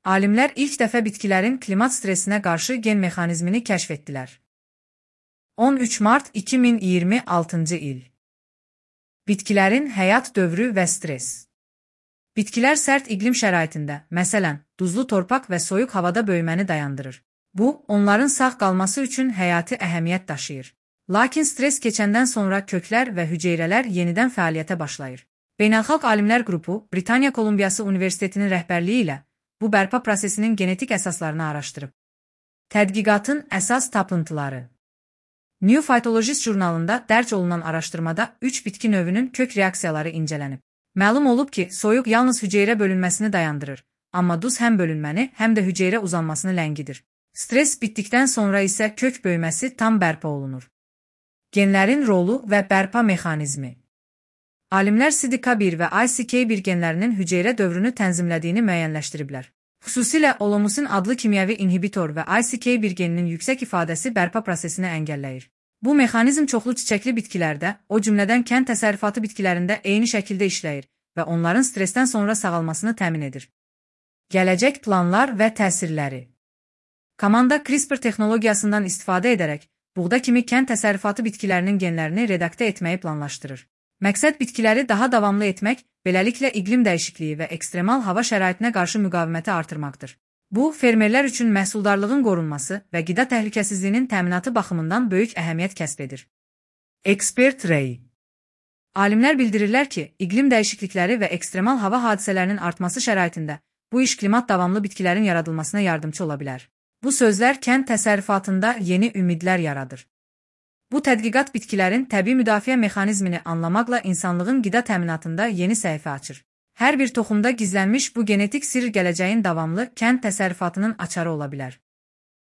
Alimlər ilk dəfə bitkilərin klimat stresinə qarşı gen mexanizmini kəşf etdilər. 13 mart 2026 il. Bitkilərin həyat dövrü və stres. Bitkilər sərt iqlim şəraitində, məsələn, duzlu torpaq və soyuq havada böyüməni dayandırır. Bu, onların sağ qalması üçün həyati əhəmiyyət daşıyır. Lakin stres keçəndən sonra köklər və hüceyrələr yenidən fəaliyyətə başlayır. Beynəlxalq Alimlər Qrupu, Britaniya Kolumbiyası Universitetinin rəhbərliyi ilə bu bərpa prosesinin genetik əsaslarını araşdırıb. Tədqiqatın əsas tapıntıları. New Phytologist jurnalında dərc olunan araşdırmada 3 bitki növünün kök reaksiyaları incələnib. Məlum olub ki, soyuq yalnız hüceyrə bölünməsini dayandırır, amma duz həm bölünməni, həm də hüceyrə uzanmasını ləngidir. Stres bitdikdən sonra isə kök böyüməsi tam bərpa olunur. Genlərin rolu və bərpa mexanizmi. Alimlər CDK1 və ICK1 genlərinin hüceyrə dövrünü tənzimlədiyini müəyyənləşdiriblər. Xüsusilə olomusin adlı kimyəvi inhibitor və ICK1 geninin yüksək ifadəsi bərpa prosesini əngəlləyir. Bu mexanizm çoxlu çiçəkli bitkilərdə, o cümlədən kənd təsərrüfatı bitkilərində eyni şəkildə işləyir və onların stresdən sonra sağalmasını təmin edir. Gələcək planlar və təsirləri. Komanda CRISPR texnologiyasından istifadə edərək, buğda kimi kənd təsərrüfatı bitkilərinin genlərini redaktə etməyi planlaşdırır. Məqsəd bitkiləri daha davamlı etmək, beləliklə iqlim dəyişikliyi və ekstremal hava şəraitinə qarşı müqaviməti artırmaqdır. Bu, fermerlər üçün məhsuldarlığın qorunması və qida təhlükəsizliyinin təminatı baxımından böyük əhəmiyyət kəsb edir. Ekspert rəyi. Alimlər bildirirlər ki, iqlim dəyişiklikləri və ekstremal hava hadisələrinin artması şəraitində bu iş klimat davamlı bitkilərin yaradılmasına yardımcı ola bilər. Bu sözlər kənd təsərrüfatında yeni ümidlər yaradır. Bu tədqiqat bitkilərin təbii müdafiə mexanizmini anlamaqla insanlığın qida təminatında yeni səhifə açır. Hər bir toxumda gizlənmiş bu genetik sirr gələcəyin davamlı kənd təsərrüfatının açarı ola bilər.